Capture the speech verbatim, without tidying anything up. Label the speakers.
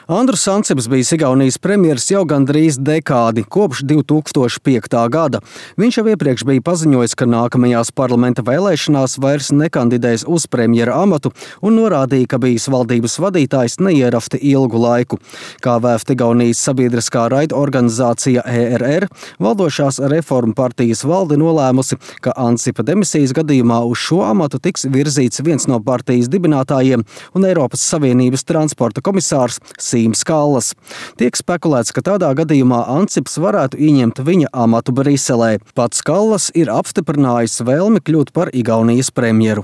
Speaker 1: Andrus Ansips bijis Igaunijas premjers jau gandrīz dekādi, kopš divi tūkstoši piektā gada. Viņš jau iepriekš bija paziņojis, ka nākamajās parlamenta vēlēšanās vairs nekandidēs uz premjera amatu un norādīja, ka bijis valdības vadītājs neierafti ilgu laiku. Kā vēft Igaunijas sabiedriskā raidorganizācija E R R, valdošās reformu partijas valde nolēmusi, ka Ansipa demisijas gadījumā uz šo amatu tiks virzīts viens no partijas dibinātājiem un Eiropas Savienības transporta komisārs Sīms Kallas. Tiek spekulēts, ka tādā gadījumā Ansips varētu ieņemt viņa amatu Briselē. Pats Kallas ir apstiprinājis vēlmi kļūt par Igaunijas premjeru.